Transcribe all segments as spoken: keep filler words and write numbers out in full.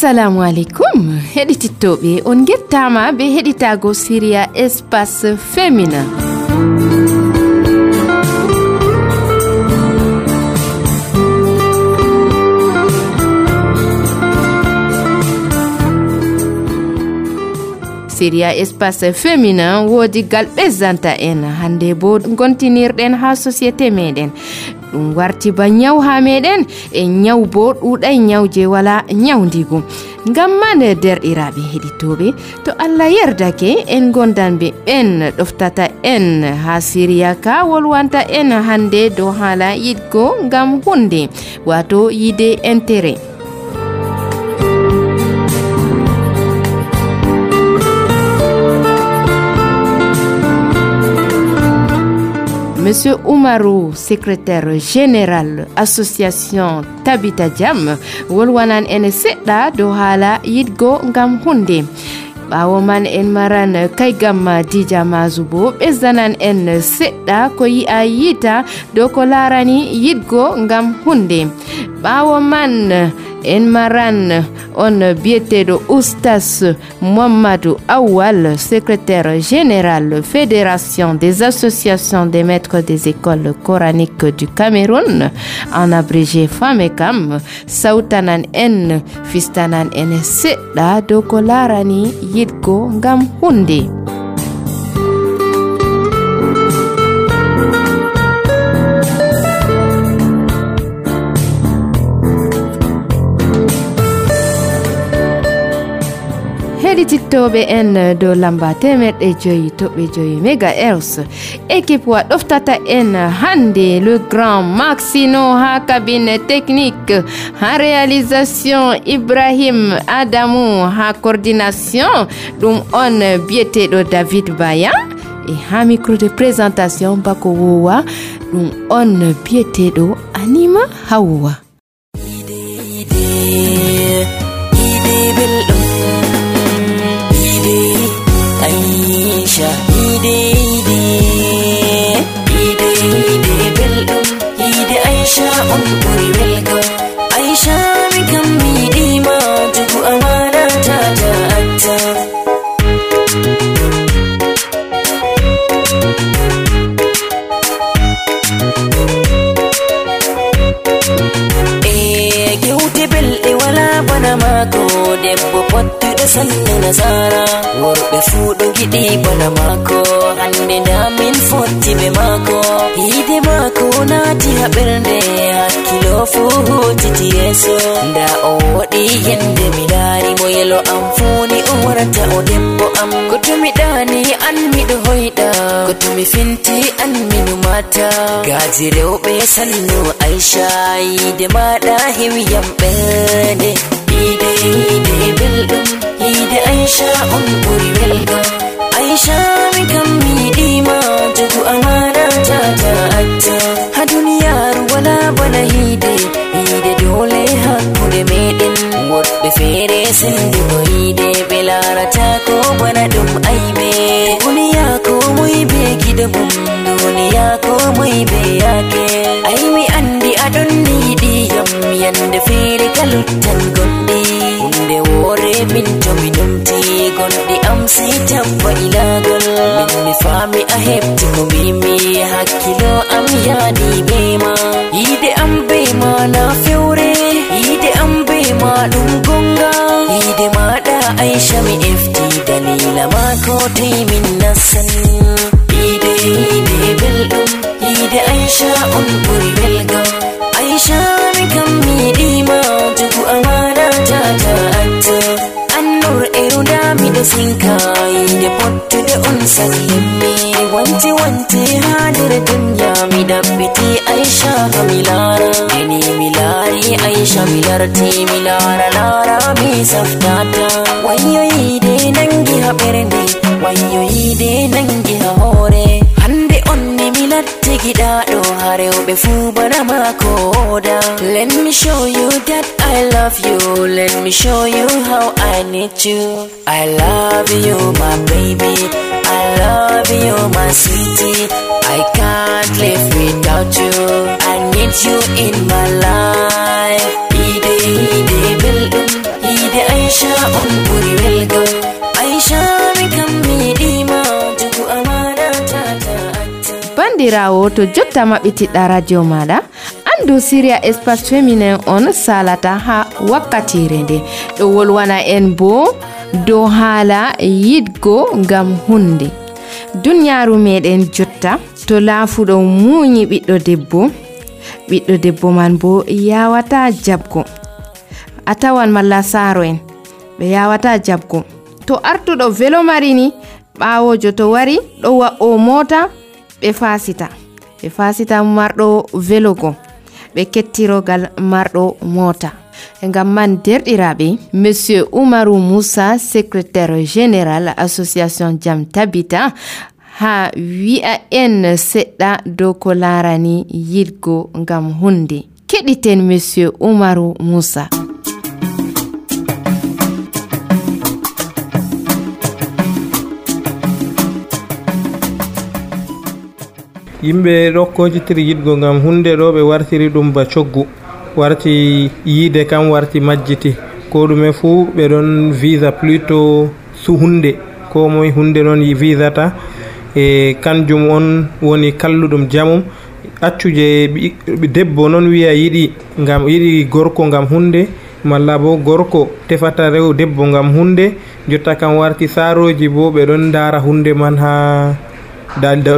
Assalamu alaikum. Heɗitittoɓe on gettama be heɗitago Syria Espace Féminin. Syria Espace Féminin wodi gal ɓezzanta en hande bo gontinirɗen ha société meɗen. Ɗum warti ba nyaw ha meɗen e nyaw bo ɗuɗay nyawje wala nyawdigu. Ngam man derɗiraɓe heɗitoɓe, to Allah yerdake en gondanɓe en ɗoftata en ha Syria ka wolwanta en hande dow hala yiɗgo ngam hunde, wato yide intérêt. Monsieur Oumarou, secrétaire général association Tabita Jam, wolwanan en seɗɗa dow hala yiɗgo ngam hunde. Ɓawo man en maran kaygam Dija Mazubo ɓezdanan en seɗɗa ko yi'a yita dow ko larani yiɗgo ngam hunde. Ɓawo man en maran on biyeteɗo Oustas Mohammadou Awal, secrétaire général Fédération des associations des maîtres des écoles coraniques du Cameroun, en abrégé FAMECAM, sautanan en fistanan en seɗɗa dow ko larani yiɗgo ngam hunde. Heɗitittoɓe en dow lamba temerɗe joyi toɓɓe joyi mégahertz, équipe wa ɗoftata en hande le grand Maxino ha cabine technique, ha réalisation Ibrahim Adamou, ha coordination ɗum on biyeteɗo David Baya, e ha micro de présentation bako wowa ɗum on biyeteɗo Anima Hawa. Aisha ide ide ide ide belɗum ide Aisha on ɓuri welgo. Aisha mi kam mi yiɗima jogu amana tata atta. E gewte belɗe wala bana mako, debbo pottuɗo sanne nasara, worɓe fuu ɗo giɗi bana mako, hande nda min fotti be mako. Hiide mako naati ha ɓernde, hakkilo fuu hutiti yeeso, nda o woɗi yende mi laari mo, yelo am fuuni o warata o debbo am. Ko tumi ɗani an miɗo hoyɗa, ko tumi finti an minu mata, gaaji rewɓe sannu Aisha, yiide maɗa hewyam ɓernde. Ide ide belɗum ide Aisha on ɓuri welgo. Aisha mi kam mi yiɗima jogu amana tata atta. Ha duniyaru wala bana hiide, hiide dole hakkude meɗen. Woɗɓe feere sendugo hiide ɓe larata ko bana ɗum aibe. Duniya ko moy be giɗo mum, duniya ko moy be yaake. Ai mi andi aɗon yiɗiyam yande feere kaluttan gondi. Hunde woore min to mi numti, gondi am sey tabba ilagol. Min mi faami a heɓti ko mbimi, hakkilo am yaadi be ma. Yiide am be ma na fewre, yiide am be ma ɗum gonga. Yiide maɗa Aisha mi efti, dalila ma ko toy min nasan. Yiide yiide belɗum yiide Aisha on ɓuri welgo. Aisha mi kam mi yiɗima jogu amana tata atta. Annur erunda miɗo sinka, yiide pottude on sagi himmi. Wanti wanti ha nder dunya mi ɗaɓɓiti Aisha ha mi laara. Eni mi laari Aisha mi larti, mi laara laara mi saftata. Wayyo yiide nangi ha ɓernde, wayyo yiide nangi ha hoore. Hande on ne mi latti giɗaɗo, ha rewɓe fuu bana mako oda. Let me show you that I love you, let me show you how I need you. I love you my baby, I love you my sweetie. I can't live without you, I need you in my life. Ide ide belɗum ide Aisha on ɓuri welgo. Aisha mi kam mi yiɗima jogu amana tata acca. Bandirawo to jotta maɓɓitiɗɗa radio maɗa, andu Syria Espace Féminin on salata ha wakkatire nde ɗo wolwana en bo dow haala yiɗgo ngam hunde. Dunyaru meɗen jotta to laafuɗo muñi ɓiɗɗo debbo, ɓiɗɗo debbo man bo yawata jabgo. A tawan malla saaro en ɓe yawata jabgo. To artuɗo velo marini, ɓawojo to wari ɗo wa'o mota ɓe fasita ɓe fasita marɗo velogo ɓe kettirogal marɗo mota. Ngam man derɗiraɓe, Monsieur Umaru Moussa, secrétaire général association Jam Tabita, ha wi'a en seɗɗa dow ko larani yiɗgo ngam hunde. Keɗiten Monsieur Umaru Moussa. yimɓe rokkojitiri yiɗgo ngam hunde ɗo ɓe wartiri ɗum ba coggu, warti yiide kam warti majjiti, ko ɗume fuu ɓe ɗon visa plutôt su hunde, ko moye hunde noon visata e kanjum on woni kalluɗum jamum. Accuje debbo noon wiya yiɗi ngam yiɗi gorko ngam hunde, malla bo gorko tefata rew debbo ngam hunde, jotta kam warti saaroji bo ɓe ɗon dara hunde man ha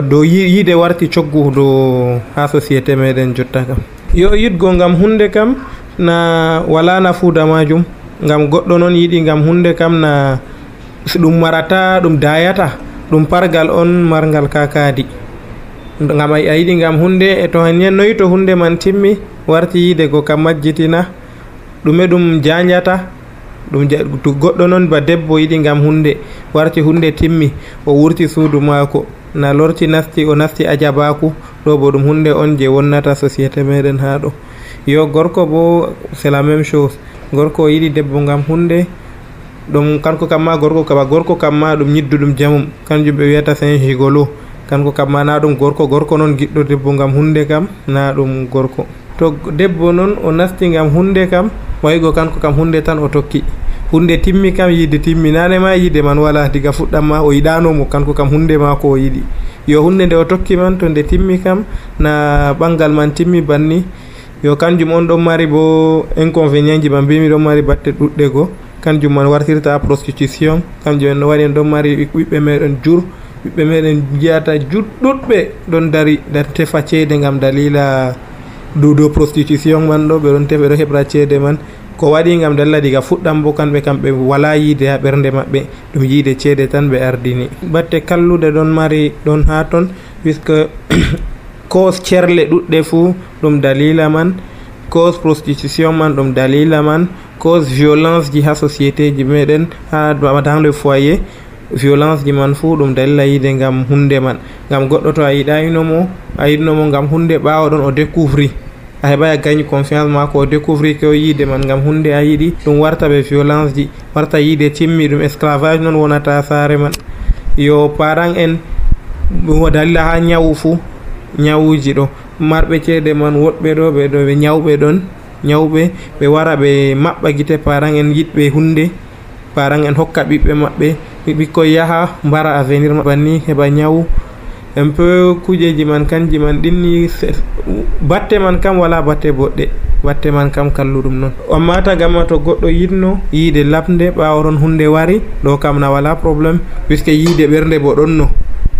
do yiide warti coggu do ha société meɗen jotta kam. Yo yiɗgo ngam hunde kam na wala nafuuda majum, ngam goɗɗo noon yiɗi ngam hunde kam na ɗum marata ɗum dayata, ɗum pargal on margal kakadi. Ngam a yiɗi ngam hunde e to hanyen noyi to hunde man timmi warti yiide go kam majjitina ɗume ɗum janjata ɗum to goɗɗo noon ba debbo yiɗi ngam hunde warti hunde timmi o wurti suudu maako na lorti nasti o nasti ajabaku, ɗo bo ɗum hunde on je wonnata société meɗen ha ɗo. Yo gorko bo c'est la même chose, gorko yiɗi debbo ngam hunde ɗum kanko kamma gorko kaba gorko kamma ɗum ñidduɗum jamum, kanjum ɓe wiyata c'est un gigolo, kanko kamma na ɗum gorko gorko noon giɗɗo debbo ngam hunde kam na ɗum gorko. To debbo noon o nasti ngam hunde kam wayigo kanko kam hunde tan o tokki, hunde timmi kam yiide timmi, nane ma yiide man wala diga fuɗɗam ma o yiɗanomo, kanko kam hunde ma ko o yiɗi. Yo hunde nde o tokki man to nde timmi kam na ɓangal man timmi banni, yo kanjum on ɗon mari bo inconvénient ji man mbimi ɗon mari batte ɗuɗɗe go, kanjum man wartirta prostitution, kanjum en waɗi en ɗon mari ɓiɓɓe meɗen jur, ɓiɓɓe meɗen jiyata juɗɗuɗɓe ɗon dari dar tefa ceede ngam dalila dow dow prostitution man ɗo, ɓe ɗon tefa ɓe ɗo heɓra ceede man, ko waɗi ngam dalla diga fuɗɗam bo kamɓe kam ɓe wala yiide ha ɓernde maɓɓe, ɗum yiide ceede tan ɓe ardini. Batte kallude ɗon mari ɗon ha ton, puisque cause cerle ɗuɗɗe fuu ɗum dalila man, cause prostitution man ɗum dalila man, cause violence ji ha société ji meɗen ha dans le foyer, violence ji man fuu ɗum dalila yiide ngam hunde man. Ngam goɗɗo to a yiɗayinomo a yiɗnomo ngam hunde, ɓawo ɗon o découvri a heɓa a gagne confiance mako, o découvri ko yiide man ngam hunde a yiɗi, ɗum warta ɓe violence ji, warta yiide timmi, ɗum esclavage noon wonata saare man. Yo parent en dalila ha ñawu fuu, ñawuji ɗo marɓe ceede man woɗɓe ɗo ɓe ɗo ɓe ñawɓe ɗon ñawɓe ɓe wara ɓe maɓɓa gite parent en yiɗɓe hunde, parent en hokka ɓiɓɓe maɓɓe, ɓikkoy yaha mbara avenir maɓɓe banni heɓa ñawu. Un peu kujeji man kanji man ɗinni, batte man kam wala batte boɗɗe, batte man kam kalluɗum noon. Amma tagama to goɗɗo yiɗno yiide labde ɓawo ɗon hunde wari, ɗo kam na wala probléme, puisque yiide ɓernde bo ɗon no,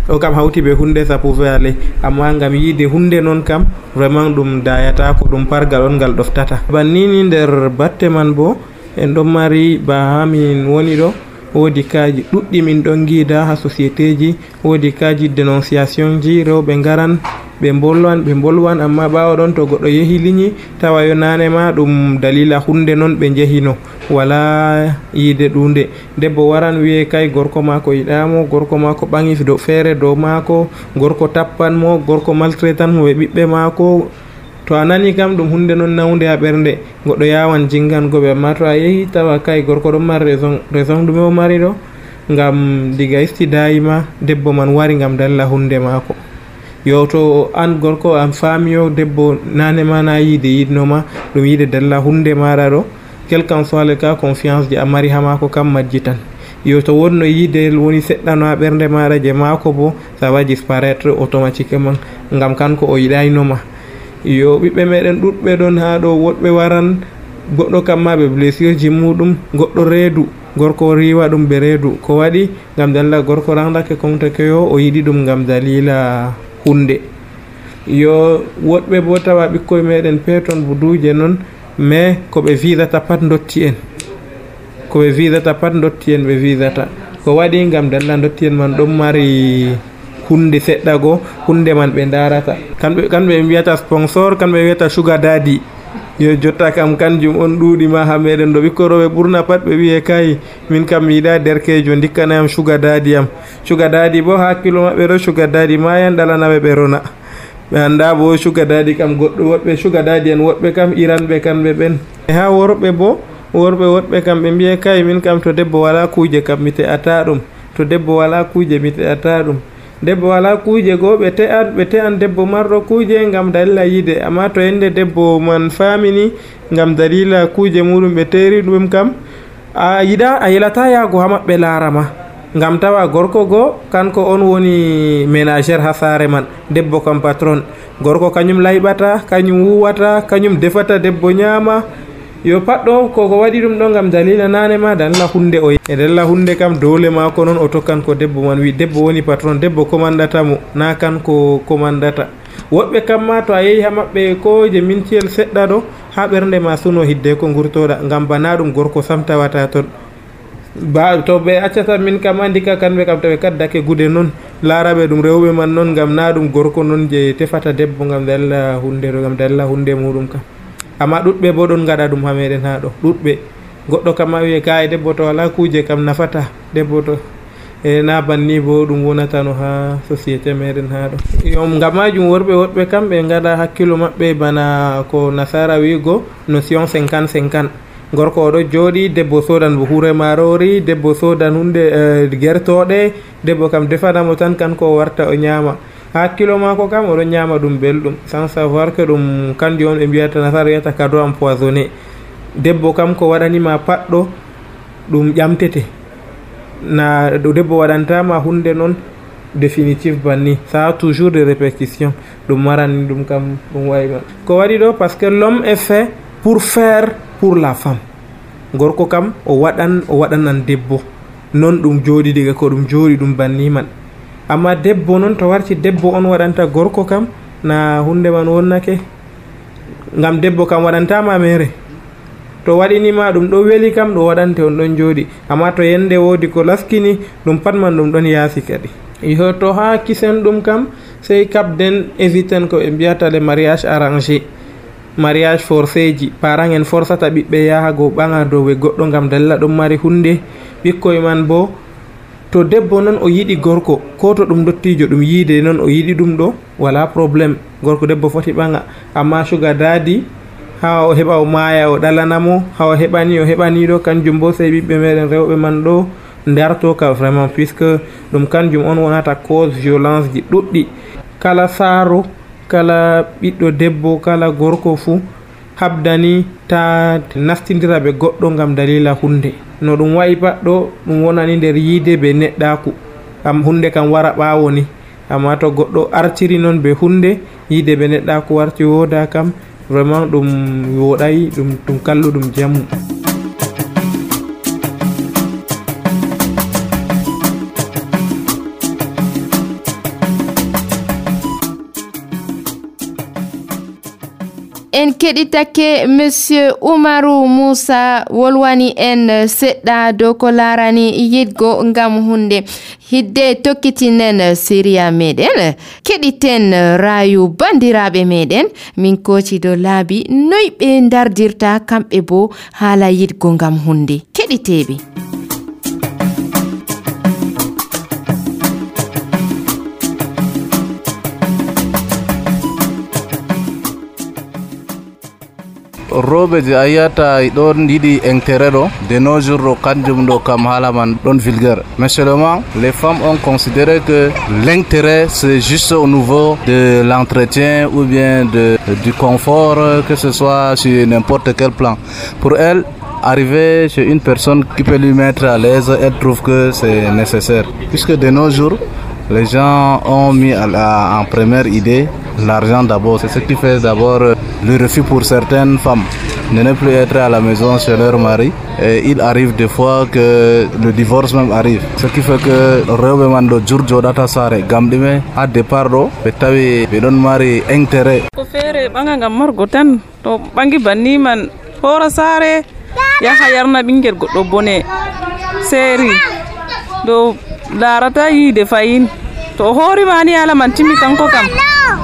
ɗo kam hawti ɓe hunde ça pouvait aller, amma ngam yiide hunde noon kam vraiment ɗum dayata ko ɗum pargal on ngal ɗoftata. Bannini nder batte man bo en ɗon mari ba ha min woni ɗo, woodi kaji ɗuɗɗi min ɗon giida ha société ji, woodi kaji dénonciation ji, rewɓe ngaran ɓe bolwan ɓe bolwan amma ɓawo ɗon to goɗɗo yehi liñi tawa yo nane ma ɗum dalila hunde noon ɓe jehino, wala yiide ɗunde. Debbo waran wiye kay gorko mako yiɗamo, gorko mako ɓangi do feere dow mako, gorko tappan mo, gorko maltraitan mo ɓe ɓiɓɓe mako. To a nani kam ɗum hunde noon nawde ha ɓernde, goɗɗo yawan jingangoɓe, amma to a yehi tawa kay gorko ɗon mari raison, raison ɗume o mari ɗo, ngam diga istidayima debbo man wari ngam dalla hunde mako. Yo to an gorko an faamiyo debbo nane ma na yiide yiɗnoma ɗum yiide dalla hunde mara ɗo, quel qu'en soit le cas confiance je a mari ha maako kam majji tan. Yo to wonno yide woni seɗɗano ha ɓernde maɗa je maako bo ça va disparaître automatiquement ngam kanko o yiɗaynoma. Yo ɓiɓɓe meɗen ɗuɗɓe ɗon ha ɗo, woɗɓe waran goɗɗo kam ma ɓe blessure ji muɗum, goɗɗo reedu gorko riwa ɗum ɓe reedu ko waɗi ngam dalila gorko randake komtake yo o yiɗi ɗum ngam dalila hunde. Yo woɗɓe bo tawa ɓikkoye meɗen peton buduje non mais ko ɓe visata pat dotti en ko ɓe visata pat dotti en ɓe visata ko waɗi ngam dalila dotti en man ɗon mari hunde seɗɗa go hunde man ɓe darata kamɓe kamɓe ɓe mbiyata sponsor, kamɓe ɓe wiyata sugar daddy. Yo jotta kam kanjum on ɗuuɗi ma ha meɗen ɗo ɓikkoi rewɓe ɓurna pat ɓe wiye kay min kam mi yiɗa derkejo dikkanayam sugar daddy am. Sugar daddy bo hakkilo maɓɓe ɗo sugar daddy mayan ɗalanaɓe ɓe rona, ɓe anda bo sugar daddy kam goɗɗo woɗɓe sugar daddy en woɗɓe kam iranɓe kamɓe ɓen. Ha worɓe bo worɓe woɗɓe kam ɓe mbiye kay min kam to debbo wala kuje kam mi te'ata ɗum, to debbo wala kuje mi te'ata ɗum. Debbo wala kuje go ɓe te'an ɓe te'an debbo marɗo kuje ngam dalila yide, amma to yende debbo man famini ngam dalila kuje muɗum ɓe teri ɗum kam a yiɗa a yilata yago ha maɓɓe larama ngam tawa gorko go kanko on woni ménagère ha sare man, debbo kam patron, gorko kañum layɓata kañum wuwata kañum defata debbo nyama. Yo pat ɗo koko waɗi ɗum ɗo ngam dalila nane ma dalila hunde o e dalila hunde kam dole mako noon o tokkan ko debbo man wi, debbo woni patron, debbo commandata mo na kanko commandata. Woɓɓe kam ma to a yehi ha maɓɓe ko je mintiyel seɗɗa ɗo ha ɓernde ma suno hidde ko gurtoɗa ngam bana ɗum gorko sam tawata ton. Ba to ɓe accata min kam andika kamɓe kam to ɓe kaddake gude noon laraɓe ɗum rewɓe man noon ngam na ɗum gorko noon je tefata debbo ngam dalila hunde ɗo ngam dalila hunde muɗum kam. Amma ɗuɗɓe bo ɗon gaɗa ɗum ha meɗen ha ɗo ɗuɗɓe, goɗɗo kam ma wiye kay debbo to wala kuje kam nafata debbo to e na banni bo ɗum wonatano ha société meɗen ha ɗo. Yo ngam majum worɓe woɗɓe kam ɓe gaɗa hakkilo maɓɓe bana ko nasara wigo notion cinquante cinquante. Gorko oɗo jooɗi debbo sodan bo hure marori, debbo sodan hunde gertoɗe, debbo kam defanamo tan kanko o warta o ñama. Hakkilo mako kam oɗo ñama ɗum belɗum sans savoir que ɗum kanjum on ɓe mbiyata nasara wiyata cadeau empoisonné. Debbo kam ko waɗanima pat ɗo ɗum ƴamtete, na ɗo debbo waɗantama hunde noon définitive banni, ça a toujours des répétitions, ɗum marani ɗum kam ɗum wayi ko waɗi ɗo parce que l'homme est fait pour faire pour la femme. Gorko kam o waɗan o waɗanan debbo non ɗum jooɗi diga ko ɗum jooɗi ɗum banni man. Amma debbo noon to warti debbo on waɗanta gorko kam na hunde man wonnake, ngam debbo kam waɗantama mere, to waɗinima ɗum ɗo weli kam ɗo waɗante on ɗon jooɗi, amma to yende wodi ko laskini ɗum pat man ɗum ɗon yaasi kadi. Yo to ha kisen ɗum kam sey kabden éviten ko ɓe mbiyata le mariage arrangé, mariage forcé ji, parent en forçata ɓiɓɓe yaha go ɓaŋa dow we goɗɗo ngam dalila ɗum mari hunde. Ɓikkoye man bo to debbo noon o yiɗi gorko ko to ɗum dottijo ɗum yiide noon o yiɗi ɗum ɗo wala probléme, gorko debbo foti ɓaŋa. Amma sugar daddy ha o heɓa o maya o ɗalanamo, ha o heɓani o heɓani ɗo kanjum bo sey ɓiɓɓe meɗen rewɓe man ɗo darto ka vraiment, puisque ɗum kanjum on wonata cause violence ji ɗuɗɗi. Kala saaro, kala ɓiɗɗo debbo, kala gorko fuu habdani ta nastidira ɓe goɗɗo ngam dalila hunde. No ɗum wayi pat ɗo ɗum wonani nder yiide be neɗɗaku, kam hunde kam wara ɓawo ni. Amma to goɗɗo artiri noon be hunde yiide be neɗɗaku warti woda kam vraiment ɗum woɗay, ɗum ɗum kalluɗum jamu. En keɗitake monsieur Oumarou Moussa wolwani en seɗɗa dow ko larani yiɗgo ngam hunde hidde tokkitinen séria meɗen keɗiten rayu bandiraɓe meɗen min koci do laabi noy ɓe dardirta kamɓe bo haala yiɗgo ngam hunde keɗiteɓe. roɓe je a yiyata ɗon yiɗi intérêt ɗo de nos jours ɗo kanjum ɗo kam haala man ɗon vulgaire, mais seulement les femmes ont considéré que l'intérêt c'est juste au niveau de l'entretien ou bien de, du confort, que ce soit sur n'importe quel plan. Pour elles, arriver chez une personne qui peut lui mettre à l'aise, elle trouve que c'est nécessaire. Puisque de nos jours, les gens ont mis à la, en première idée l'argent d'abord. C'est ce qui fait d'abord le refus pour certaines femmes de ne plus être à la maison chez leur mari. Et il arrive des fois que le divorce même arrive. Ce qui fait que rewɓe man ɗo jurjo ɗata saare gam ɗume ha départ ɗo ɓe tawi ɓe ɗon mari intérêt. Ko feere ɓanga ngam margo tan to ɓangi banni man hoora saare yaha yarna ɓingel goɗɗo bone seeri ɗo larata yiide fayin to hoorima ni ala man timmi kanko kam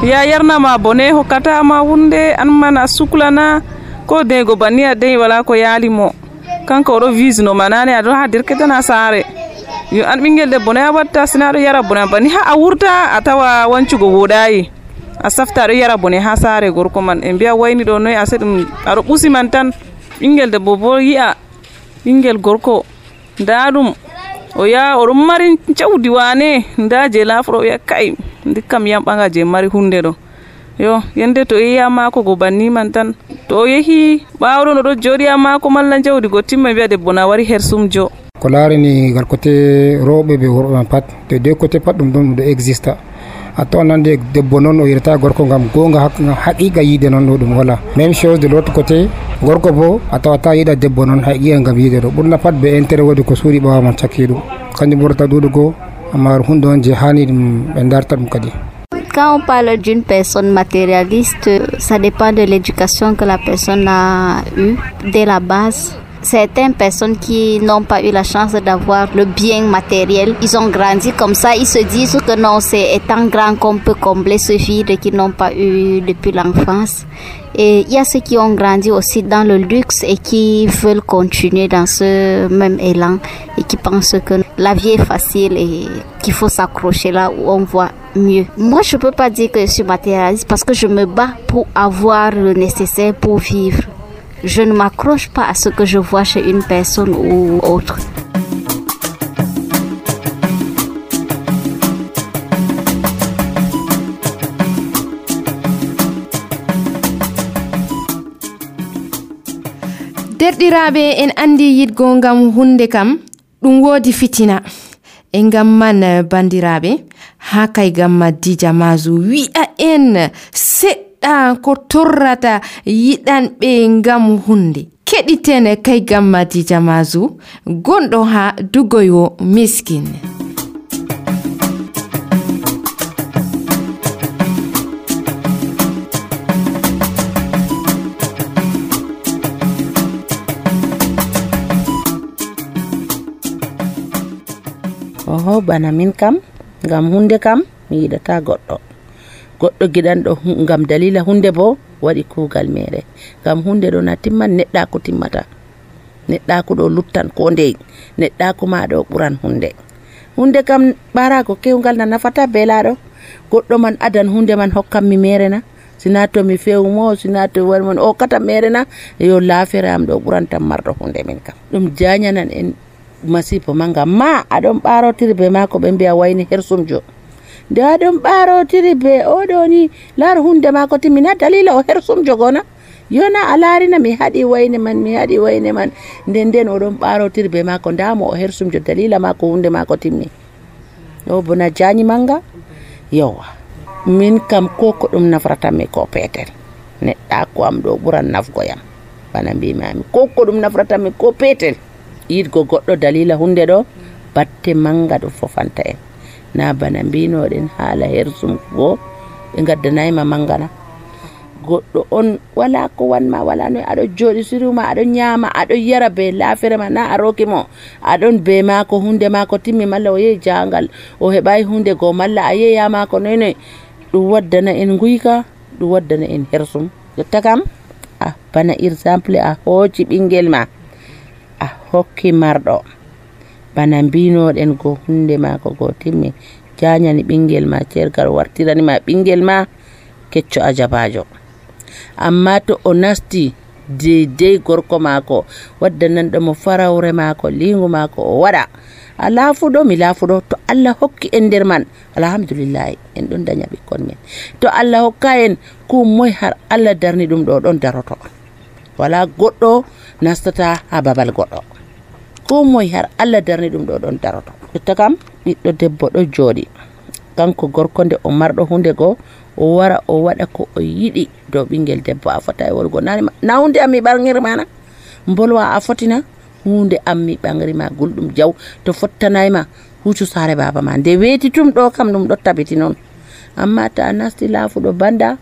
ya yarnama bone hokkatama hunde an man a suklana ko dego banni a dey wala ko yaali mo kanko oɗo visno manane aɗo ha derketana saare yo an ɓingel debbo no a watta sina aɗo yara bone banni ha a wurta a tawa wancugo woɗayi a safta aɗo yara bone ha saare gorko man e mbiya wayni ɗo noyi ase ɗum aɗo ɓusi man tan ɓingel debbo bo yi'a ɓingel gorko nda ɗum o ya oɗon mari jawdi wane nda je lafuro o wiya kay ndikkam yam ɓaga je mari hunde ɗo yo yende to yeeya mako go banni man tan to o yeehi ɓawɗon oɗo jooɗi ha mako malla jawdi go timma wiya debbo na wari hersumjo ko larini ngal côté rewɓe ɓe worɓe man pat de deux côté pat ɗum ɗum ɗo exista a tawan nande debbo noon o yirata gorko ngam gonga haqiqa yiide noon ɗo ɗum wala même chose de l' autre côté gorko bo a tawata yiɗa debbo noon haqiqa ngam yiide ɗo ɓurna pat be intérêt waɗi ko suuɗi ɓawa man cakki ɗum kanjum ɓurata ɗuɗugo amma hunde on je hani ɗum ɓe darta ɗum kadi. Quand on parle d'une personne matérialiste, ça dépend de l'éducation que la personne a eue dès la base. Certaines personnes qui n'ont pas eu la chance d'avoir le bien matériel, ils ont grandi comme ça, ils se disent que non, c'est étant grand qu'on peut combler ce vide qu'ils n'ont pas eu depuis l'enfance. Et il y a ceux qui ont grandi aussi dans le luxe et qui veulent continuer dans ce même élan et qui pensent que la vie est facile et qu'il faut s'accrocher là où on voit mieux. Moi, je ne peux pas dire que je suis matérialiste parce que je me bats pour avoir le nécessaire pour vivre. Je ne m'accroche pas à ce que je vois chez une personne ou autre. derɗiraɓe en andi yidgo ngam hunde kam ɗum wodi fitina e ngam man bandiraɓe ha kay gamma Dija Mazu wi'a en seɗɗa ko torrata yiɗanɓe ngam hunde keɗiten kay gamma Dija Mazu gonɗo ha dugoyo Miskin. oho bana min kam ngam hunde kam mi yiɗata goɗɗo goɗɗo giɗanɗo ngam dalila hunde bo waɗi kugal mere ngam hunde ɗo na timman neɗɗako timmata neɗɗako ɗo luttan ko ndey neɗɗako ma ɗo ɓuran hunde hunde kam ɓarago kewgal na nafata belaɗo goɗɗo man adan hunde man hokkam mi mere na sina to mi fewmo sina to wari mon o kata mere na yo lafere am ɗo ɓurantam marɗo hunde min kam ɗum jañanan en masibo manga ma aɗon ɓarotiri be mako ɓe mbiya wayni hersumjo nde aɗon ɓarotiri be oɗo ni laaro hunde mako timmina dalila o hersumjo gona yona a larina mi haɗi wayne man mi haɗi wayne man nden nden oɗon ɓarotiri be mako ndamo o hersumjo dalila mako hunde mako timmi ɗo bona jañi manga yowa min kam ko ko ɗum nafratanmi ko petel neɗɗako am ɗo ɓuran nafgoyam bana mbimami ko ko ɗum nafratanmi ko petel yiɗgo goɗɗo dalila hunde ɗo batte manga ɗo fofanta en na bana mbinoɗen haala hersum go ɓe gaddanayima mangana goɗɗo on wala ko wanma wala no aɗo joɗi siruma aɗo ñama aɗo yara be lafere ma na a roki mo aɗon be mako hunde mako timmi malla o yehi jangal o heɓai hunde go malla a yeeya mako noynoy ɗum waddana en guyka ɗum waddana en hersum jotta kam a bana exemple a hooci ɓingel ma a hokki marɗo bana mbinoɗen go hunde mako go timmi jañani ɓingel ma cergal wartirani ma ɓingel ma kecco a jabajo amma to o nasti deydey gorko mako waddananɗo mo farawre mako lingu mako o waɗa a laafuɗo mi laafuɗo to Allah hokki en nder man alhamdulillahi en ɗon daña ɓikkon men to Allah hokka en ko moy har Allah darni ɗum ɗo ɗon daroto wala goɗɗo nastata ha babal goɗɗo ko moye har Allah darni ɗum ɗo ɗon daroto. Jotta kam ɓiɗɗo debbo ɗo jooɗi kanko gorko nde o marɗo hunde go o wara o waɗa ko o yiɗi dow ɓingel debbo. A fota e wolgo nani na hunde ammi ɓangiri mana mbolwa a fotina hunde ammi ɓangri ma gulɗum jaw to fottanayma hucu sare baba ma nde weeti tum ɗo kam ɗum ɗo tabiti noon. Amma ta nasti laafuɗo banda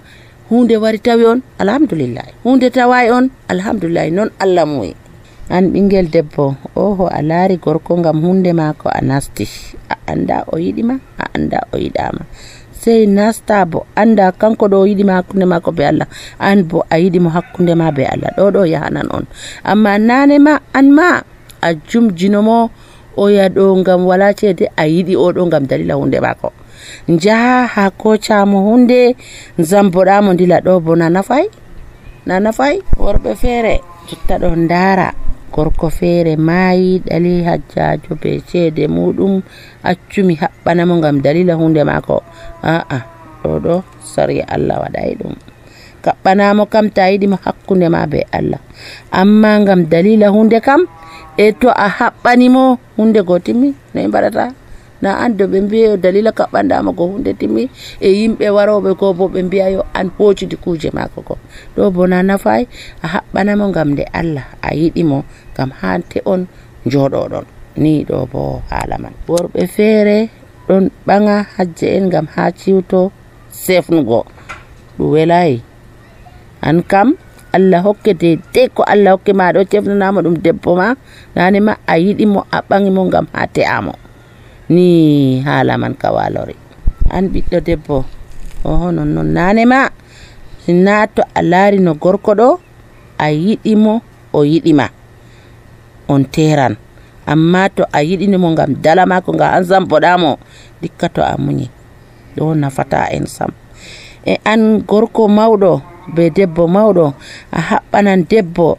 hunde wari tawi on alhamdulillah, hunde tawayi on alhamdulillah, non Allah muyi. An ɓingel debbo oho a laari gorko ngam hunde mako a nasti, a anda o yiɗima a anda o yiɗama, sey nasta bo anda kanko ɗo yiɗima hakkunde mako be Allah, an bo a yiɗimo hakkunde ma be Allah, ɗo ɗo yahanan on. Amma nane ma an ma a jumjinomo o yaɗo ngam wala ceede a yiɗi o ɗo ngam dalila hunde mako, jaha ha kocamo hunde zamboɗamo dila ɗo bo na nafay na nafay. Worɓe feere jotta ɗo ndara gorko feere maayi ɗali hajjajo be ceede muɗum accumi haɓɓanamo ngam dalila hunde mako, aa ɗo ɗo sariya Allah waɗay ɗum. Kaɓɓanamo kam ta yiɗimo hakkunde ma be Allah, amma ngam dalila hunde kam e to a haɓɓanimo hunde go timmi no e mbaɗata. Na ando ɓe mbiya dalila kaɓɓandama ko hunde timmi e yimɓe waroɓe ko bo ɓe mbiya yo an hoccidi kuje mako ko ɗo bo na nafay. A haɓɓanamo ngam nde Allah a yiɗimo ngam hante on joɗoɗon ni ɗo bo haala man. Worɓe feere ɗon ɓanga hajje en ngam ha ciwto sefnugo ɗum welayi. An kam Allah hokke de de ko Allah hokke ma ɗo cefnanamo ɗum debbo ma nane ma a yiɗimo a ɓangimo ngam ha te'amo ni haala man ka walori. An ɓiɗɗo debbo oho non non nane ma sinna to a laari no gorko ɗo a yiɗimo o yiɗima on teran, amma to a yiɗinimo ngam dala mako nga an zamboɗamo dikka to a muñi ɗo nafata en sam. E an gorko mawɗo be debbo mawɗo a haɓɓanan debbo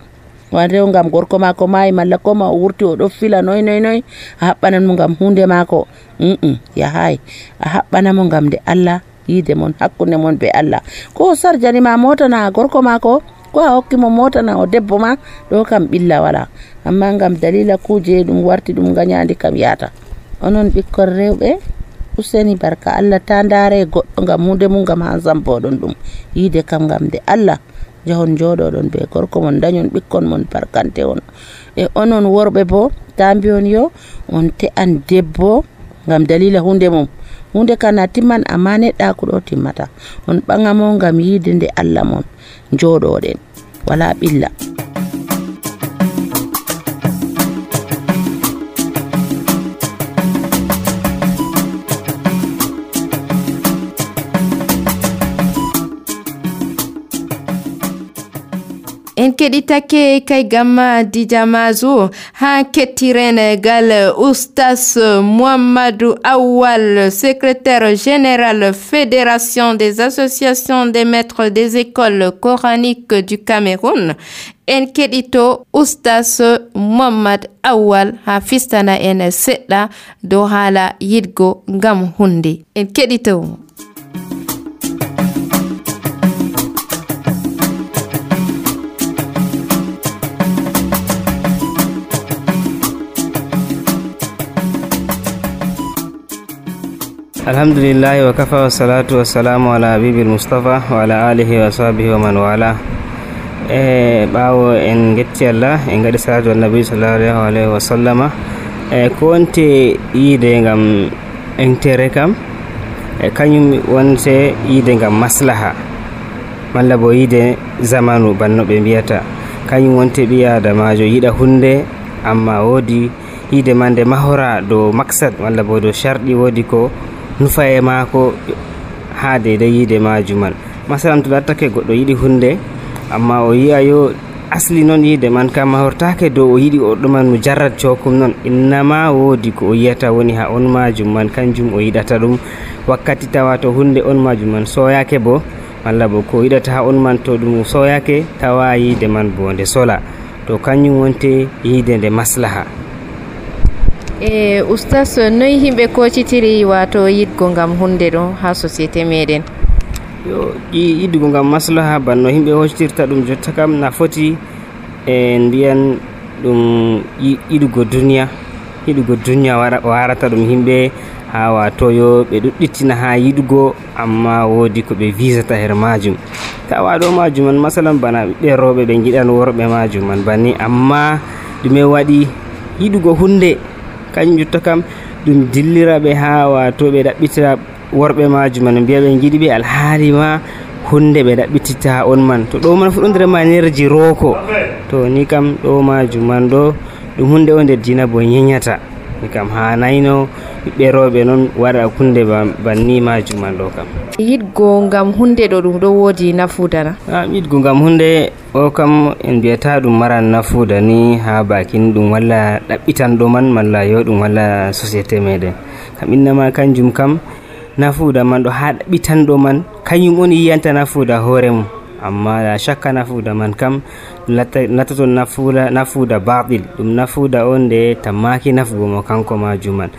wanrew ngam gorko mako maayi malla ko ma o wurti o ɗo fila noy noy noy a haɓɓanan mo ngam hunde mako mm yahay. A haɓɓanamo ngam nde Allah yiide mon hakkunde mon be Allah. Ko sarjani ma mota na gorko mako ko a hokki mo mota na o debbo ma ɗo kam ɓilla wala, amma ngam dalila kuje ɗum warti ɗum ganyandi kam yata. Onon ɓikkon rewɓe useni barka Allah ta ndare goɗɗo ngam hunde mum ngam han zamboɗon ɗum yiide kam ngam nde Allah jahon joɗoɗon be gorko mon dañon ɓikkon mon barkante on. E onon worɓe bo ta mbiyon yo on te'an debbo ngam dalila hunde mum, hunde kana timman amma neɗɗa ko ɗo timmata. On ɓangamo ngam yiide nde Allah mon joɗoɗen wala ɓilla. En keɗitake kay gamma Dijamazu ha kettiren gal Oustas Mouhamadou Awal, secrétaire général Fédération des associations des maîtres des écoles coraniques du Cameroun. En keɗito Oustas Mouhamad Awal ha fistana en seɗɗa dow haala yiɗgo ngam hunde. En keɗito. alhamdulillahi wa kafa wa salatu wa salamu ala habibil mustafa wa ala alihi wa sahbihi wa man wala. e ɓawo en getti Allah en gaɗi salatu annabi sallallahu alaihi wa sallama. e ko wonte yiide ngam entere kam e kañum wonte yiide ngam maslaha malla bo yiide zamanu banno ɓe mbiyata. kañum wonte ɓi adamajo yiɗa hunde amma woodi yiide ma nde mahora dow maksad malla bo dow sharɗi, woodi ko nufaye mako ha deydey yiide majuman. masalan to lattake goɗɗo yiɗi hunde amma o yi'a yo asli noon yiide man kam mahortake dow o yiɗi o ɗuman mujarrad cokum noon, innama woodi ko o yiyata woni ha on majum man kanjum o yiɗata ɗum. wakkati tawa to hunde on majum man soyake bo malla bo ko yiɗata ha on man to ɗum soyake tawa yiide man bo nde sola, to kañum wonte yiide nde maslaha. e Oustas noy himɓe kocitiri wato yiɗgo ngam hunde ɗo ha société meɗen? yo yiɗgo ngam maslaha banno himɓe hoccitirta ɗum jotta kam na foti e mbiyan ɗum yiɗugo duniya yiɗugo duniya warata ɗum himɓe ha wato yo ɓe ɗuɗɗitina ha yiɗugo amma woodi ko ɓe visata her majum tawa ɗo majum man masalan bana ɓiɓɓe rewɓe ɓe giɗan worɓe majum man banni amma ɗume waɗi yiɗugo hunde kañum jotta kam ɗum dillira ɓe ha wato ɓe ɗaɓɓitira worɓe majum man mbiya ɓe giɗi ɓe alhaali ma hunde ɓe ɗaɓɓititta on man to ɗo man fu ɗon nder manerji roko to ni kam ɗo majum man ɗo ɗum hunde o nder dina bo yenyata ni kam ha nayno ɓiɓɓe rewɓe noon waɗa hunde banni majum man ɗo kam yiɗgo ngam hunde ɗo ɗum ɗo woodi nafudana yiɗgo ngam hunde o kam en mbiyata ɗum maran nafuda ni ha bakin ɗum walla ɗaɓɓitanɗo man malla yo ɗum walla société meɗen kam innama kanjum kam nafuda man ɗo ha ɗaɓɓitanɗo man kañum on yiyanta nafuda hoore mum amma la shakka nafuda man kam lattaton nafuda nafuda batil ɗum nafuda on nde tammaki nafugo mo kanko majum man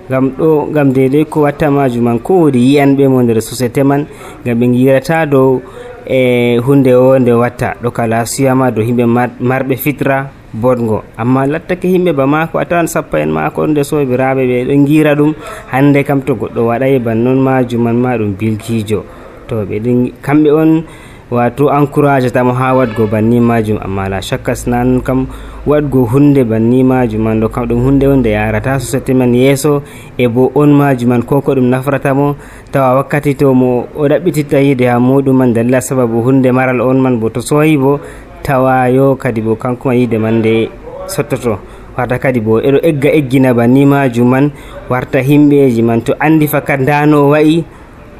ngam ɗo ngam dedei ko watta majum man ko wodi yiyanɓe mo nder société man ngam ɓe girata dow e hunde o nde watta ɗo kala siyama dow himɓe marɓe fitra bodgo amma lattake himɓe ba mako a tawan sappa en mako nde sobiraɓe ɓe ɗo gira ɗum hande kam to goɗɗo waɗay bannon majum man ma ɗum bilkijo to ɓe ɗin kamɓe on wato encourage tamo ha wadgo banni majum amma la shakka snan kam wadgo hunde banni majum man ɗo kam ɗum hunde on nde yarata société man yeeso e bo on majum man koko ɗum nafratamo tawa wakkati to mo o ɗaɓɓititta yide ha muɗum man dalila sababu hunde maral on man bo to soyi bo tawa yo kadi bo kanko ma yide man nde sottoto warta kadi bo eɗo egga eggina banni majum man warta himɓeji man to andi fakat ndano wayi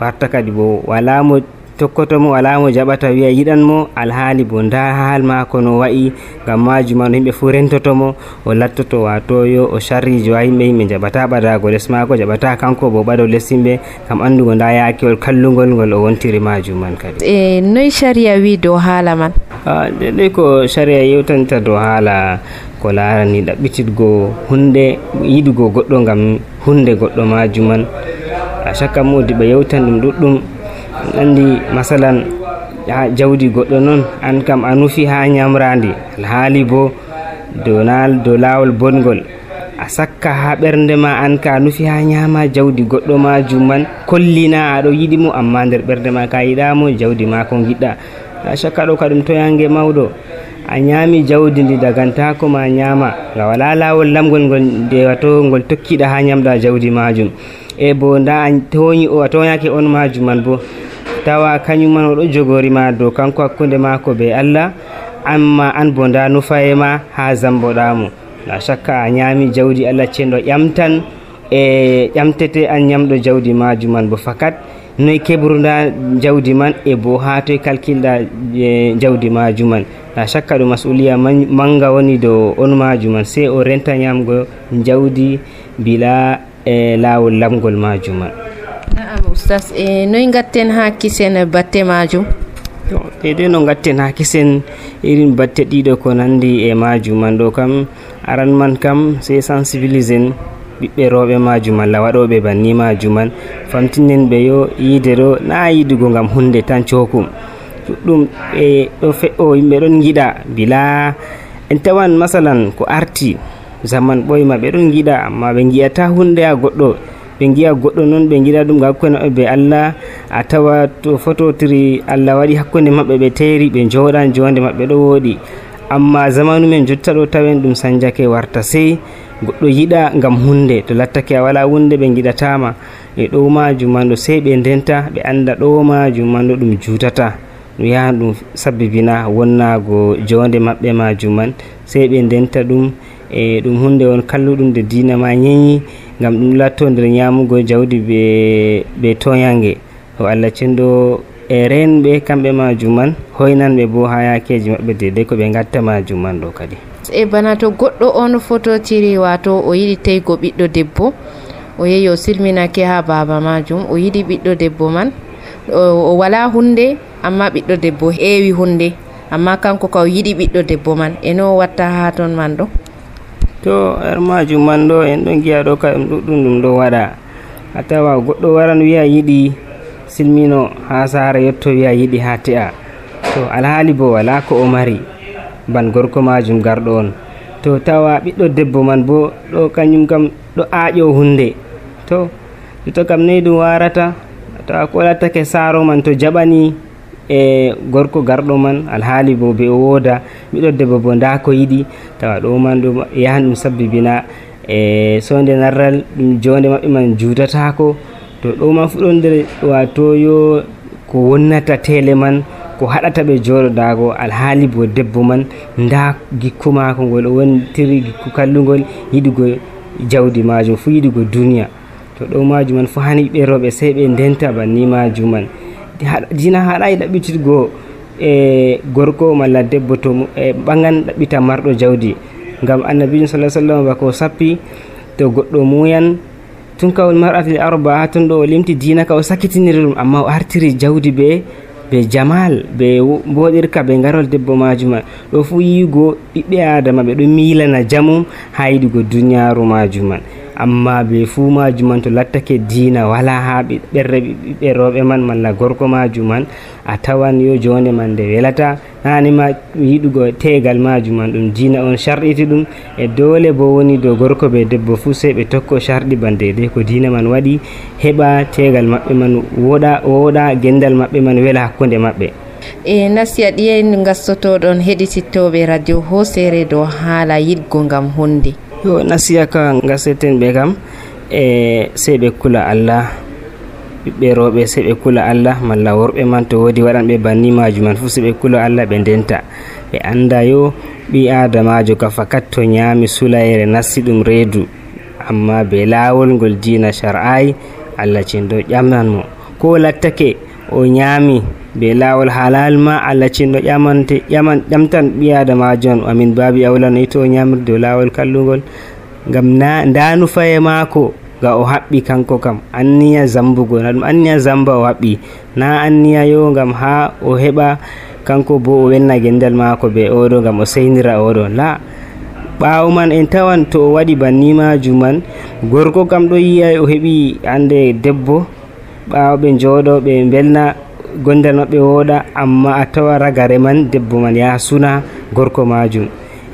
warta kadi bo wala mo tokkoto mo wala mo jaɓata wiya yiɗan mo alhaali bo nda haal mako no wayi ngam majum man himɓe fu rentoto mo o lattoto wato yo o sharrijo ha yimɓe yimɓe jaɓata ɓadago less mako jaɓata kanko bo ɓaɗo less yimɓe kam andugo nda yakewol kallugol ngol o wontiri majum man kadi e noy sharia wi dow haala man ɗeɗe ko sharia yewtanta dow haala ko larani ɗaɓɓititgo hunde yiɗugo goɗɗo ngam hunde goɗɗo majum man a shakka modi ɓe yewtan ɗum ɗuɗɗum andi masalan ha jawdi goɗɗo noon an kam a nufi ha nyamrandi alhaali bo dow dow lawol bongol a sakka ha ɓernde ma an ka nufi ha nyama jawdi goɗɗo majum man kollina aɗo yiɗi mo amma nder ɓernde ma ka yiɗamo jawdi ma ko giɗɗa a shakka ɗo ka ɗum toyange mawɗo a nyami jawdi ndi dagantako ma nyama nga wala lawol lamgol ngol nde wato ngol tokkiɗa ha nyamɗa jawdi majum e bo nda a toñi o a toñake on majum man bo tawa kañum man oɗo jogorima dow kanko hakkunde mako be Allah amma an bo nda nufaye ma ha zamboɗamo la shakka a nyami jawdi Allah cenɗo ƴamtan e ƴamtete an nyamɗo jawdi majum man bo fakat noy keɓruda jawdi man e bo ha toye kalkilɗa jawdi majum man la shakka ɗum masuliya manga woni dow on majum man sey o renta nyamgo jawdi bila e lawol lamgol majum man naam oustas e noy gatten ha kisen batte majum deydey no gatten ha kisen irin batte ɗiɗo ko nandi e majum man ɗo kam aran man kam sey sensibilisen ɓiɓɓe rewɓe majum malla waɗoɓe banni majum man famtinen ɓe yo yiide ɗo na yiɗugo ngam hunde tan cokum ɗuɗɗum ɓe ɗo fe'o yimɓe ɗon giɗa bila en tawan masalan ko arti zaman ɓoyma ɓe ɗon giɗa amma ɓe gi'ata hunde ha goɗɗo ɓe giya goɗɗo noon ɓe giɗa ɗum hakkunde maɓɓe be Allah a tawa to fototiri Allah waɗi hakkunde maɓɓe ɓe teri ɓe joɗan jonde maɓɓe ɗo woɗi amma zamanu men jotta ɗo tawen ɗum sanjake warta sey goɗɗo yiɗa ngam hunde to lattake a wala hunde ɓe giɗatama e ɗo majum man ɗo sey ɓe ndenta ɓe anda ɗo majum man ɗo ɗum jutata ɗum yaha ɗum sabbibina wonnago jonde maɓɓe majum man sey ɓe ndenta ɗum e ɗum hunde on kalluɗum de dina ma nyeñi ngam ɗum latto nder nyamugo jawdi be be toyange o Allah cenɗo e renɓe kamɓe majum man hoynanɓe bo ha yakeji maɓɓe dedei ko ɓe gatta majum man ɗo kadi e bana to goɗɗo on fototiri wato o yiɗi teygo ɓiɗɗo debbo o yehi o silminake ha baba majum o yiɗi ɓiɗɗo debbo man o wala hunde amma ɓiɗɗo debbo heewi hunde amma kanko ka o yiɗi ɓiɗɗo debbo man e no watta ha ton man ɗo to er majum man ɗo en ɗon giya ɗo ka ɗum ɗuɗɗum ɗum ɗo waɗa a tawa goɗɗo waran wiya yiɗi silmino ha sara yetto wiya yiɗi ha te'a to alhaali bo wala ko o mari ban gorko majum garɗo on. To tawa ɓiɗɗo debbo man bo ɗo kañum kam ɗo aaƴo hunde, to to kam nei ɗum warata tawa ko lattake saaro man to jaɓani e gorko garɗo man alhaali bo ɓe wooda, ɓiɗɗo debbo bo nda ko yiɗi, tawa ɗo man ɗum yahan ɗum sabbibina e sonde narral ɗum jonde maɓɓe man juutatako. To ɗo man fu ɗon nder wato yo ko wonnata tele man, ko haɗata ɓe jooɗodago, alhaali bo debbo man nda gikku mako ngol o wontiri gikku kallugol, yiɗugo jawdi majum fu, yiɗugo duniya. To ɗo majum man fu hani ɓe rewɓe sey ɓe ndenta banni majum man. Dina haɗayi ɗaɓɓitirgo e gorko malla debbo to e ɓagan ɗaɓɓita marɗo jawdi, ngam annabijo sallallahu alaihi wasallam bako sappi to goɗɗo muyan tun kawol mar'atil arba ha tun ɗo o limti dina ka o sakitiniri ɗum, amma o artiri jawdi be be jamal be mboɗirka be garol debbo majum man. ɗo fu yigo ɓiɓɓe adama ɓe ɗo milana jamum ha yiɗugo duniyaru majum man, amma be fu majum man to lattake dina wala ha ɓerre ɓiɓɓe rewɓe man malla gorko majum man, a tawan yo jonde man nde welata. nanima yiɗugo tegal majum man ɗum dina on sharɗiti ɗum, e dole bo woni dow gorko be debbo fu sey ɓe tokko sharɗi ban deydey ko dina man waɗi, heɓa tegal maɓɓe man woɗa woɗa gendal maɓɓe man wela hakkunde maɓɓe. e nasiya ɗiyen gastotoɗon heɗitittoɓe radio Hosere dow haala yiɗgo ngam hunde. yo nasiya ka gaseten ɓe kam e sey ɓe kula Allah, ɓiɓɓe rewɓe sey ɓe kula Allah, malla worɓe man to wodi waɗanɓe banni majum man fu sey ɓe kula Allah, ɓe ndenta ɓe anda yo ɓi adamajo ka fakat to ñaami sulayre nasti ɗum reedu, amma be laawol ngol dina shar'ai, Allah cindo ƴamnan mo. Ko lattake o ñaami be laawol halal ma, Allah cindo ƴamante ƴaman ƴamtan ɓi adamajo on, amin babi awla no to o ñamirde dow laawol kallugol, ngam na ndanu faye maako ga o haɓɓi kanko kam anniya zambugo, na ɗum anniya zamba o haɓɓi, na anniya yo ngam ha o heɓa kanko bo o welna gendal maako be oɗo ngam o seynira oɗo, la ɓawo man en tawan to o waɗi banni majum man, gorko kam ɗo yiya o heɓi ande debbo, ɓawo ɓe jooɗo ɓe belna gondal maɓɓe wooɗa, amma a tawa ragare man debbo man ya suna gorko majum.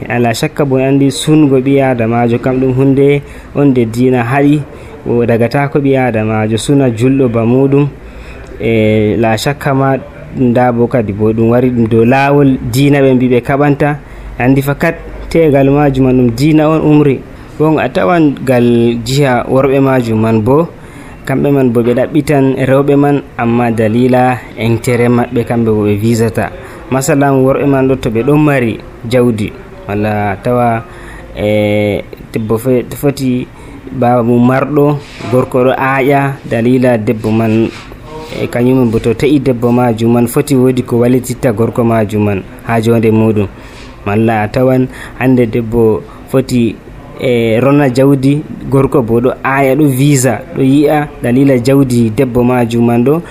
ala shakka bo andi sungo ɓi adamajo kam ɗum hunde on de dina haɗi, o dagata ko ɓi adamajo suna julɗo ba muɗum, e la shakka ma nda bo kadi bo ɗum wari ɗum dow laawol dina ɓe mbi ɓe kaɓanta, andi fakat tegal majum man ɗum dina on umri. Bon a tawan gal jiha worɓe majum man bo kamɓe man bo ɓe ɗaɓɓitan rewɓe man, amma dalila intérêt maɓɓe kamɓe bo ɓe visata. Masalan worɓe man ɗo to ɓe ɗon mari jawdi, walla tawa e debbo foti baba mum marɗo, gorko ɗo aaƴa dalila debbo man e kañum bo to ta'i debbo majum man foti wodi ko wallititta gorko majum man ha jonde muɗum, malla a tawan hande debbo foti e rona jawdi, gorko bo ɗo aya ɗo visa ɗo yi'a dalila jawdi debbo majum man ɗo,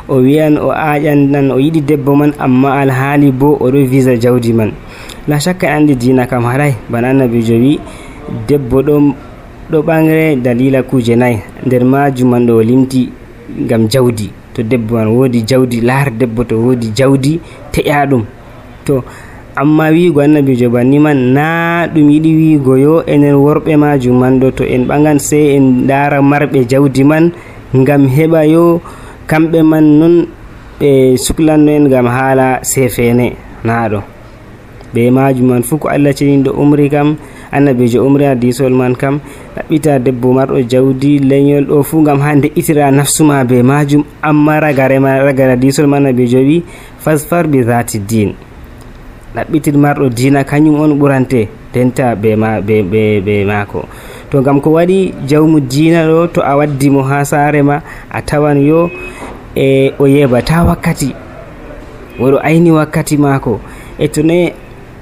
o wiyan o aƴan nan o yiɗi debbo man, amma alhaali bo o ɗo visa jawdi man. La shakka andi dina kam haray, bana annabijo wi debbo ɗo ɗo ɓangre dalila kuje nayyi, nder majum man ɗo o limti ngam jawdi. To debbo man wodi jawdi, laar debbo to wodi jawdi teƴa ɗum. To amma wiigo annabijo banni man na ɗum yiɗi wiigo yo enen worɓe majum man ɗo to en ɓagan sey en dara marɓe jawdi man ngam heɓa yo kamɓe man non ɓe suklanno en ngam haala sefene, na ɗo be majum man fu ko Allah ceniɗo umri kam, annabijo umri hadisol man kam ɗaɓɓita debbo marɗo jawdi leñol ɗo fu ngam ha de'itira nafsuma be majum, amma ragare ma ragare hadisol man annabijo wi fasfar bi zati din, ɗaɓɓitir marɗo dina kañum on ɓurante denta be ma be be be mako. To ngam ko waɗi jawmu dina ɗo to a waddi mo ha saare ma a tawan yo e o yebata wakkati, oɗo ayni wakkati mako, e to ne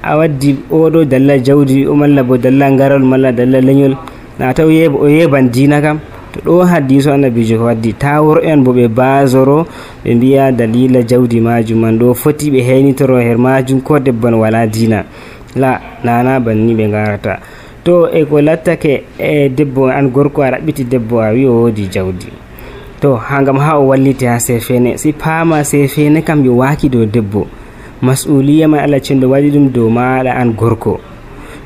a waddi oɗo dalla jawdi o malla bo dalla garol malla dalla leñol, na taw yeba o yeban dina kam. To ɗo hadiso annabijo ko waddi ta worɓe en bo ɓe basoro ɓe mbiya dalila jawdi majum man ɗo foti ɓe heynitoro her majum ko debban wala dina, la nana banni ɓe garata. To e ko lattake e debbo an gorko a ɗaɓɓiti debbo a wi o wodi jawdi, to ha ngam ha o walliti ha sefene, si paama sefene kam yo waki dow debbo, mas'uliya man Allah cenɗo waɗi ɗum dow maɗa an gorko.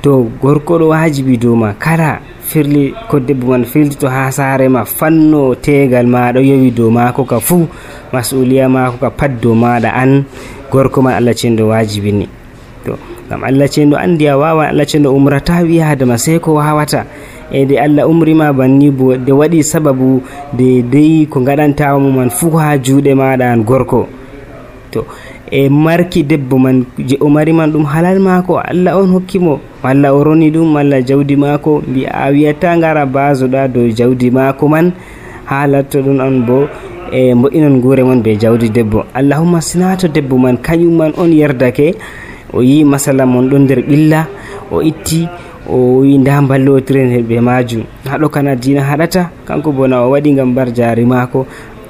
To gorko ɗo wajibi dow ma kala firli ko debbo man firlito ha saare ma fanno tegal ma ɗo yowi dow mako ka fuu mas'uliya mako ka pat dow maɗa an gorko man Allah cenɗo wajibi ni. To ngam Allah cenɗo andi a wawan, Allah cenɗo umrata wi adama sai ko wawata, e de Allah umrima banni bo de waɗi sababu de dey ko gaɗantamo man fuu ha juuɗe maɗa an gorko. To e marki debbo man je o mari man ɗum halal mako, Allah on hokkimo, walla o roni ɗum malla jawdi mako, mbi a wiyata ngara basoɗa dow jawdi mako man ha latto ɗum on bo e mbo'inon guure mon be jawdi debbo. Allahumma sinato debbo man kañum man on yerdake, o yi masala mon ɗon nder ɓilla, o itti o wi nda ballotiren be majum, haɗo kana dina haɗata kanko bona o waɗi ngam bar jari mako.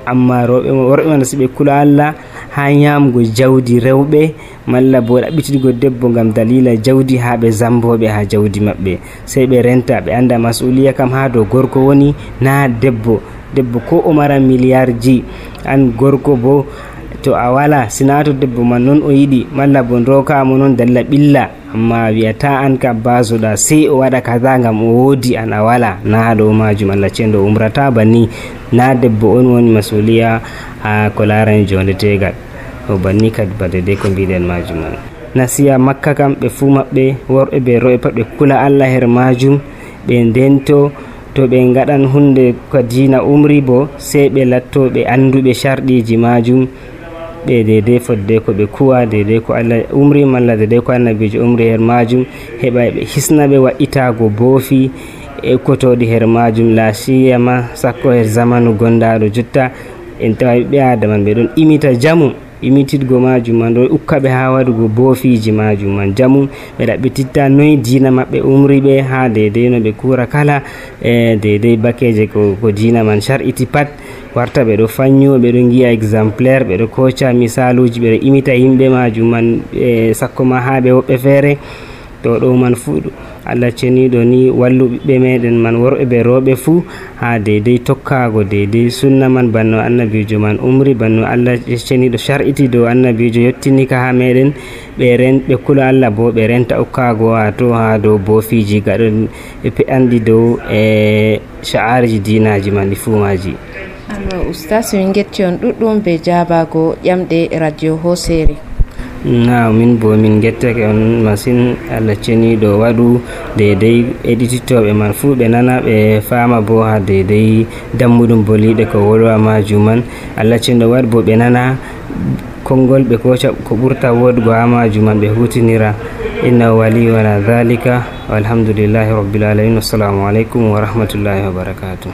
Amma roɓe worɓe man siɓe kula Allah ha ñamgo jawdi rewɓe malla bo ɗaɓɓitirgo debbo ngam dalila jawdi ha ɓe zamboɓe ha jawdi maɓɓe, sey ɓe renta ɓe anda mas'uliya kam ha dow gorko woni na debbo. Debbo ko o mara milliardji, an gorko bo to a wala sinato debbo man non o yiɗi malla bo rokamo non dalla ɓilla, amma wiyata an ka basoɗa sey o waɗa kaza ngam o woodi an a wala, na ɗo majum Allah cenɗo umrata banni. Na debbo on woni masuliya ha ko larani jonde tegal o banni kadi bade de ko mbiɗen majum man. Nasiya makka kam ɓe fuu maɓɓe worɓe be roɓe pat ɓe kula Allah her majum, ɓe ndento to ɓe gaɗan hunde ko dina umri bo sey ɓe latto ɓe anduɓe sharɗiji majum, ɓe dede fodde ko ɓe kuwa dede ko Allah umri malla dede ko annabijo umri her majum, heɓa ɓe hisna ɓe wa'itago boofi e kotoɗi her majum. La siyama sakko her zamanu gondaɗo jotta en tawa ɓiɓɓe adama ɓe ɗon imita jamu, imitidgo majum man ɗo ukkaɓe ha waɗugo boofiji majum man jamu, ɓe ɗaɓɓititta noyi dina maɓɓe umri ɓe ha dede no ɓe kura kala e dede bakeje ko, ko dina man shar'iti pat warta ɓe ɗo fanyo, ɓe ɗo giya exemplaire, ɓe ɗo koca misaluji, ɓe ɗo imita yimɓe majum man e sakko ma ha ɓe woɓɓe feere. To ɗo man fuu Allah ceniɗo ni wallu ɓiɓɓe meɗen man worɓe ɓe rewɓe fuu ha deydey tokkago deydey sunna man banno annabijo man umri, banno Allah ceniɗo shar'iti dow annabijo yettinika ha meɗen, ɓe ren ɓe kula Allah bo ɓe renta ukkago ha to ha dow boofiji gaɗon ɓe andi dow e sha'ariji dinaji man ɗi fuu maji. Alors oustas min getti on ɗuɗɗum be jabago ƴamɗe radio Hosere. Na min bo min gettake on masin, Allah ceniɗo waɗu deydey eɗititoɓe man fuu ɓe nana ɓe fama bo ha deydey dammuɗum boliɗe ko wolwa majum man. Allah ceniɗo waɗu bo ɓe nana konngol ɓe koca ko ɓurta woɗugo ha majum man ɓe hutinira. Innahu wali wala dhalika walhamdulillahi rabbil alamin. Wassalamu alaikum wa rahmatullahi wa barakatuh.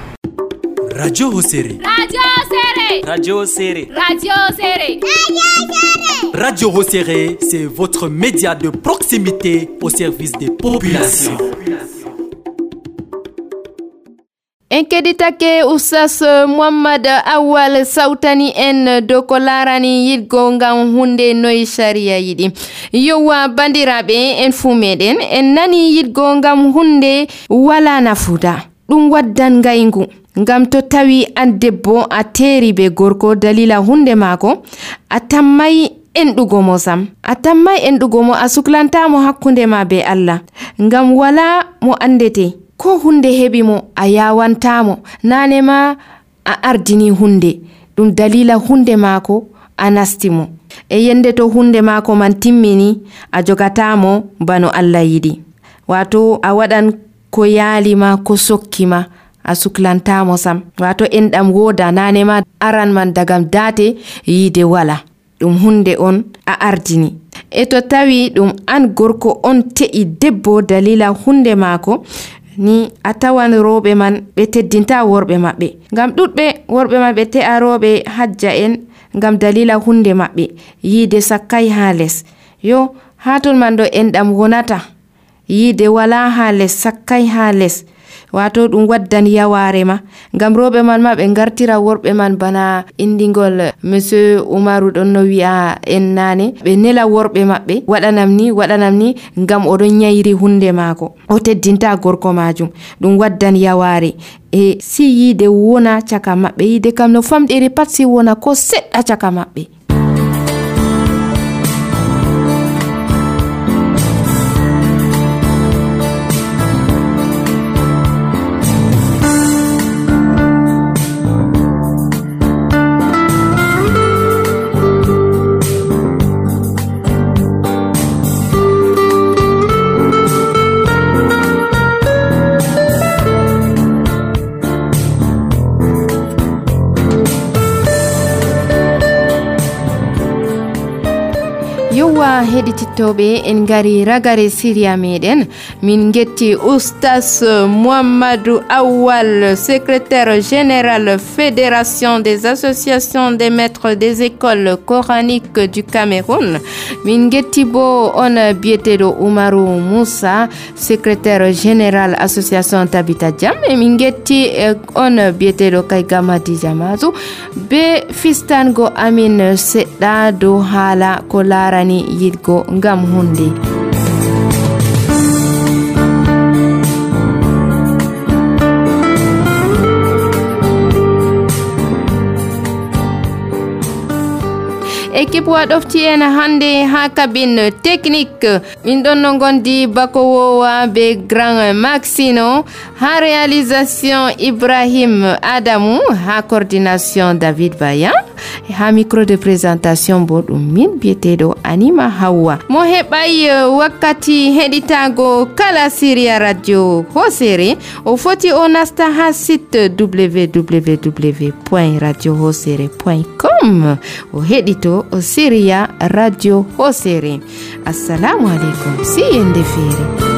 Radio Hosere. Radio Hosere. Radio Hosere. Radio Hosere. Radio Hosere, c'est votre média de proximité au service des populations. En keɗitake oustas Mouhammad Awal sawtani en dow ko larani yiɗgo ngam hunde noye sharia yiɗi. Yowa bandiraɓe en fuu meɗen en nani yiɗgo ngam hunde wala nafuda, ɗum waddan ngaygu. Ngam to tawi an debbo a teeri be gorko dalila hunde maako, a tammay enɗugo mo sam, a tammay enɗugo mo, a suklantamo hakkunde ma be Allah. Ngam wala mo andete, ko hunde heɓi mo a yawantamo, nane ma a ardini hunde, ɗum dalila hunde maako a nasti mo. E yende to hunde maako man timmini, a jogatamo bano Allah yiɗi. Wato a waɗan ko yaalima ko sokkima, a suklantamo sam. Wato enɗam woda, nane ma aran man dagam date yiide wala, ɗum hunde on a ardini. E to tawi ɗum an gorko on te'i debbo dalila hunde maako ni, a tawan roɓe man ɓe teddinta worɓe maɓɓe. Ngam ɗuɗɓe worɓe man ɓe te'a roɓe hajja en ngam dalila hunde maɓɓe yiide sakkay ha les. Yo haton man ɗo enɗam wonata, yiide wala ha les, sakkay ha les. Wato ɗum waddan yaware ma, ngam roɓe man ma ɓe gartira worɓe man bana indigol monsieur Umaru ɗon no wi'a en nane, ɓe nela worɓe maɓɓe waɗanam ni waɗanam ni ngam oɗon nyayri hunde maako, o teddinta gorko majum. Ɗum waddan yaware e si yiide wona caka maɓɓe, yiide kam no famɗiri pat si wona ko seɗɗa caka maɓɓe. aywa heɗitittoɓe en gari ragare siriya meɗen min getti oustas Mouhamadou Awal, secrétaire général fédération des associations des maîtres des écoles coraniques du Cameroun. Min getti bo on biyeteɗo Oumarou Moussa, secrétaire général association Tabita Jam, e min getti on biyeteɗo Kayga Madi Jamatu be fistango amin seɗɗa dow haala ko larani yidgo ngam hunde. Équipe waɗofti en hande ha cabine technique min ɗon no gondi Bakowowa be Grand Maxino, ha réalisation Ibrahim Adamou, ha coordination David Bayan, ha micro de présentation bo ɗum min biyeteɗo Anima Hawa. Mo heɓay wakkati heɗitago kala Syria radio Hosere o foti o nasta ha site w w w point radio hosere point com o heɗito Syria radio Hosere. Assalamu alaikum, si yende fere.